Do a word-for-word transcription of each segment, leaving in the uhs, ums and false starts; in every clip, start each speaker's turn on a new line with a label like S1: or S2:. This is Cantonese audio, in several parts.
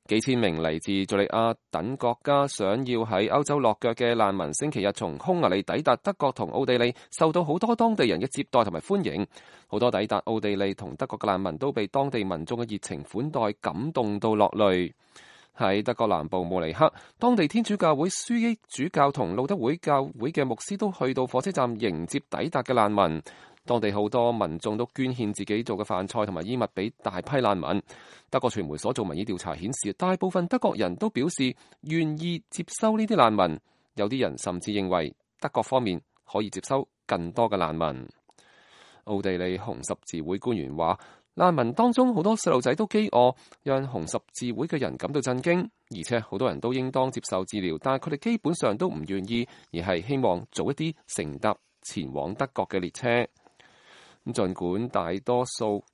S1: 幾千名嚟自敘利亞等國家想要喺歐洲落腳嘅難民，星期日從匈牙利抵達德國同奧地利，受到好多當地人嘅接待同埋歡迎。好多抵達奧地利同德國嘅難民都被當地民眾嘅熱情款待感動到落淚。喺德國南部慕尼黑，當地天主教會樞機主教同路德會教會嘅牧師都去到火車站迎接抵達嘅難民。當地好多民眾都捐獻自己做嘅飯菜同埋衣物俾大批難民。德國傳媒所做民意調查顯示，大部分德國人都表示願意接收呢啲難民，有啲人甚至認為德國方面可以接收更多嘅難民。奧地利紅十字會官員話，難民當中好多細路仔都飢餓，讓紅十字會嘅人感到震驚，而且好多人都應當接受治療，但係佢哋基本上都唔願意，而係希望早一啲乘搭前往德國嘅列車。咁儘管大多數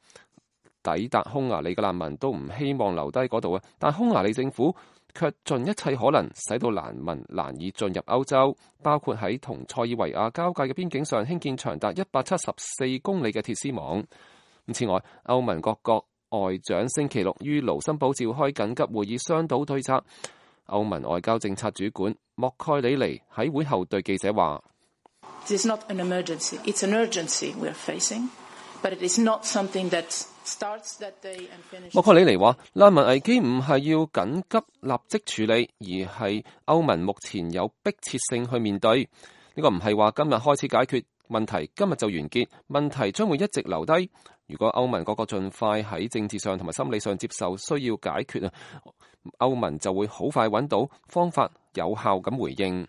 S1: 抵達匈牙利嘅難民都唔希望留低嗰度啊，但匈牙利政府卻盡一切可能使到難民難以進入歐洲，包括喺同塞爾維亞交界嘅邊境上興建長達一百七十四公里嘅鐵絲網。此外，歐盟各國外長星期六於盧森堡召開緊急會議商討對策。歐盟外交政策主管莫蓋里尼喺會後對記者話，This
S2: is not an emergency. It's an urgency we are facing, but it is not something that starts that day and finishes.
S1: 莫克里尼話：難民危機唔係要緊急立即處理，而係歐盟目前有迫切性去面對。呢個唔係話今日開始解決問題，今日就完結，問題將會一直留低。如果歐盟各國盡快喺政治上同埋心理上接受需要解決啊，歐盟就會好快揾到方法，有效咁回應。